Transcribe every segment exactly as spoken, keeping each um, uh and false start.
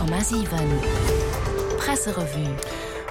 Honnert Komma siwen Presserevue.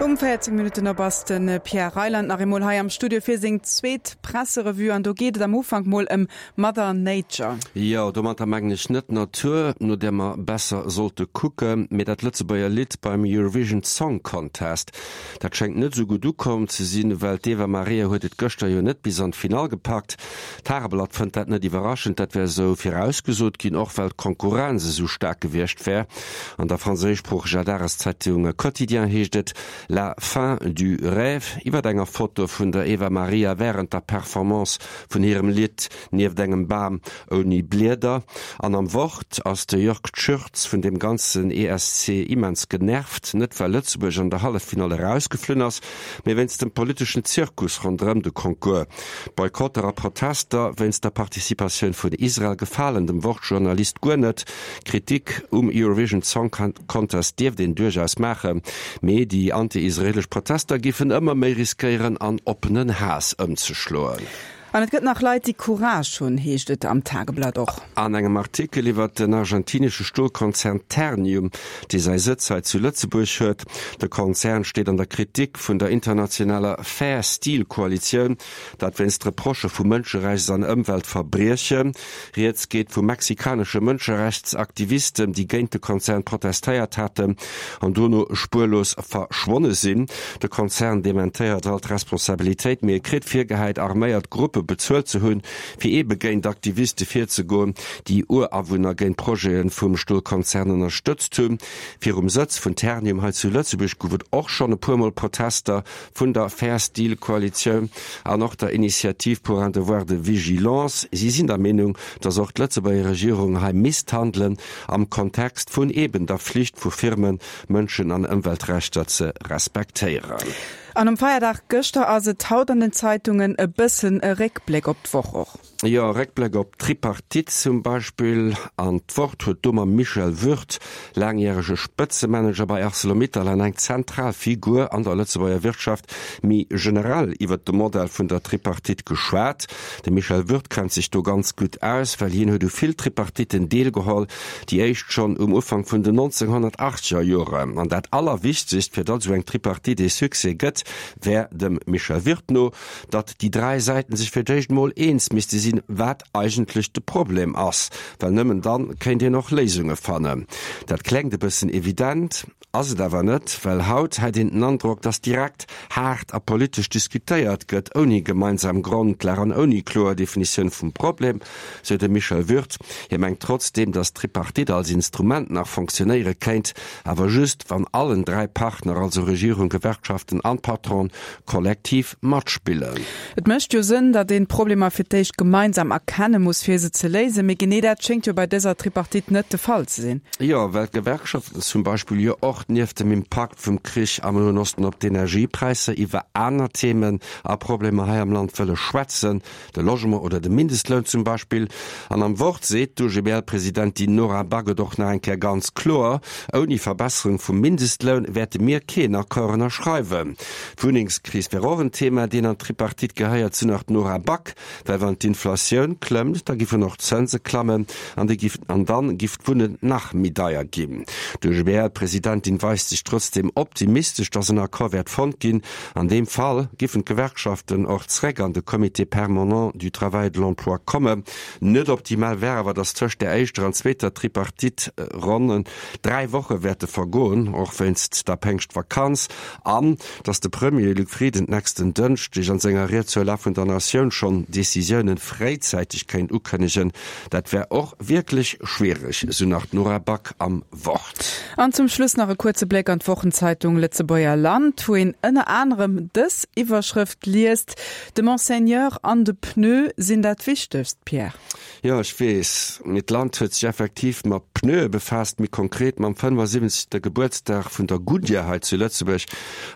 Um véierzéng Minutten op ass de Pierre Reyland nach eemol hei am Studio fir seng zweet Presserevue an do geet et am Ufank mol ëm Mother Nature. Jo, domatter mengen ech net d'Natur, no där mer besser sollte kucken, mee dat Lëtzebuerger Lidd beim Eurovision Song Contest. Dat schéngt net esou gutt ukomm ze sinn, well d'Eva Maria huet et gëschter jo net bis an d'Finall gepackt. D'Tageblatt fënnt dat net iwwerraschend, dat wär esou virausgesot ginn, och well d'Konkurrenz esou staark gewiescht wär. An der franséischsproocheger Dageszeitung Quotidien heescht et, La fin du rêve iwwer enger Foto vun der Eva Maria wärend der Performance vun hirem Lidd nieft engem Bam ouni Blieder. An am Wort ass de Jörg Tschürtz vun deem ganzen E S C immens genervt, net well Lëtzebuerg an der Halleffinall erausgeflunn ass, mee wéinst dem politeschen Zirkus ronderëm de Concours. Boykotter a Protester wéinst der Participatioun vun Israel gefalen dem Wort-Journalist guer net. Kritik um Eurovision Song Contest dierft een duerchaus maachen, mee déi anti-israelesch Protester giffen ëmmer méi riskéieren an oppenen Haass ëmzeschloen. An et gëtt nach Leit, déi Courage hunn, heescht et am Tageblatt och. An engem Artikel iwwer den argentinesche Stolkonzern Ternium, dee säi Sëtz hei zu Lëtzebuerg huet. De Konzern steet an der Kritik vun der internationaler Fair Steel Koalitioun, dat wéinst Reprochë vu Mënscherechts an Ëmweltverbriechen. Rieds geet vu mexikanesche Mënscherechtsaktivisten, déi géint de Konzern protestéiert haten an dono spuerlos verschwonne sinn. De Konzern dementéiert all d'Responsabilitéit, mee e kritt virgehäit, arméiert Gruppe bezuelt ze hunn, fir eebe géint Aktiviste virzegoen, déi Urawunner géint Projete vum Stolkonzern ënnerstëtzt hunn. Virum Sëtz vun Ternium hei zu Lëtzebuerg gouf et och schonn e puer Mol Protester vun der Fair Steel Koalitioun an och der Initiative pour un devoir de vigilance. Si sinn der Meenung, datt och d'Lëtzebuerger Regierung hei misst handelen am Kontext vun eeben der Flicht vu Firmen, Mënschen an Ëmweltrechter ze respektéieren. An um Feierdag gëschter ass et haut an den Zeitungen e bëssen e Réckbléck op d'Woch och. Jo, Réckbléck op d'Tripartite zum Beispill. An d'Wort huet do mam Michel Würth, laangjärege Spëtzemanager bei Arcelor-Mittal an eng zentral Figur an der Lëtzebuerger Wirtschaft, méi generell iwwert de Modell vun der Tripartite geschwat. De Michel Würth kennt sech do ganz gutt aus, well hien huet u vill Tripartitten deelgeholl, déi éischt schonn um Ufank vun den nonzénghonnertaachteger Joren. An dat Allerwichtegst, fir datt esou eng Tripartite ee Succès gëtt, wär dem Michel Würth no, datt déi dräi Säiten sech fir d'éischt mol eens misste sinn, wat eigentlech de Problem ass, well nëmmen dann kéint een och Léisunge fannen. Dat klengt e bëssen evident, ass et awer net, well haut hätt een den Androck, datt direkt haart a politesch diskutéiert gëtt, ouni gemeinsam Grondlag an ouni kloer Definitioun vum Problem, sou de Michel Würth. Hie mengt trotzdeem, datt d'Tripartite als Instrument nach fonctionnéiere kéint, awer just wann allen dräi Partner, also Regierung, Gewerkschaften an Patron, kollektiv matspillen. Et mécht jo Sënn, datt een d'Problemer fir d'éischt gemeinsam erkenne muss, fir se ze léisen, mee genee dat schéngt jo bei dëser Tripartite net de Fall ze sinn. Jo, well d'Gewerkschaften zum Beispill jo och nieft dem Impakt vum Krich am Noen Osten op d'Energiepräisser iwwer aner Themen a Problemer hei am Land wëlle schwätzen, de Logement oder de Mindestloun zum Beispill. An am Wort seet d'U G B L-Presidentin Nora Back et och nach eng Kéier ganz kloer, Ouni Verbesserung vum Mindestloun wäerte mir keen Accord ënnerschreiwen. D'Wunnengskris wär och en Thema, deen an d'Tripartite gehéiert, sou nach d'Nora Back, well wann d'Inflatioun klëmmt, da giffen och d'Zënse klammen an déi giff, an dann giff d'Wunnen nach méi deier ginn. D'U G B L-Presidentin weist sech trotzdem optimistesch, dass en Accord wäert fonnt ginn. An deem Fall giffen d'Gewerkschaften och zréck an de Comité permanent du travail et de l'emploi kommen. Net optimal wär awer, dass tëscht der éischter an zweeter Tripartite-Ronn dräi Woche wäerte vergoen, och wéinst der Péngschtvakanz, an dass de Premier Luc Frieden d'nächsten Dënschdeg an senger Ried zur Lag vun der Natioun schonn Decisiounen fréizäiteg kéint ukënnegen. Dat wär och wierklech schwiereg, sou nach d'Nora Back am Wort. An zum Schluss nach e kuerze Bléck an d'Wochenzeitung Lëtzebuerger Land, wou een ënner anerem dës Iwwerschrëft liest: De Monseigneur an de Pneu sinn dat Wichtegst, Pierre. Jo, ech weess, mee d'Land huet sech effektiv mat Pneue befaasst, méi konkret mam fënnefasiwwenzegste Gebuertsdag vun der Goodyear hei zu Lëtzebuerg.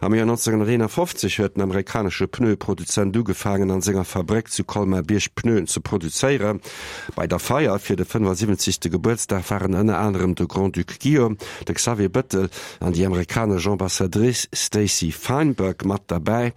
Am Joer nonzénghonnerteenafofzeg huet den amerikanesche Pneueproduzent ugefaangen, an senger Fabréck zu Colmar-Bierg Pneuen ze produzéieren. Bei der Feier fir de fënnefasiwwenzegste Gebuertsdag waren ënner anerem de Grand-Duc Guillaume, de Xavier Bettel an déi amerikanesch Ambassadrice Stacey Feinberg mat derbäi.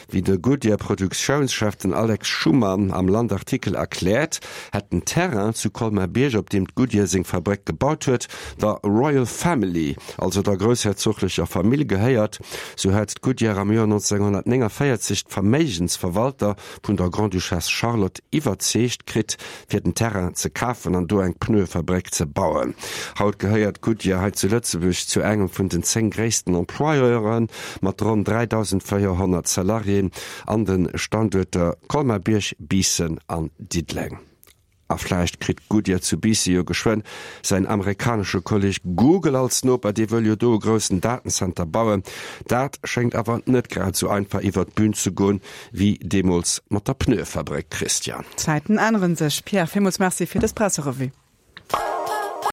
Wéi de Goodyear-Produktiounschef den Alex Schumann am Landartikel erkläert, hätt den Terrain zu Colmar-Bierg, op deem d'Goodyear seng Fabréck gebaut gebaut huet, der Royal Family, also der groussherzoglecher Famill gehéiert. Sou hat Goodyear am Joer neunzehnhundertneunundvierzig d'Verméigensverwalter vun der Grande-Duchesse Charlotte iwwerzeegt kritt, fir den Terrain ze kafen an do eng Pneuefabréck ze bauen. Haut gehéiert Goodyear hei zu Lëtzebuerg zu engem vun den zéng gréissten Employeuren, mat ronn dräidausendvéierhonnert Salariéen an de Standuerter Colmar-Bierg, Biissen an Diddeleng. A vläicht kritt Goodyear zu Biisse jo geschwënn säin amerikanesche Kolleg Google als Noper, dee wëll jo do e groussen Datencenter bauen. Dat schéngt awer net grad esou einfach iwwer d'Bün ze goen, wéi deemools mat der Pneuefabréck, Christian. D'Zäiten änneren sech. Pierre, villmools Merci fir dës Presserevue.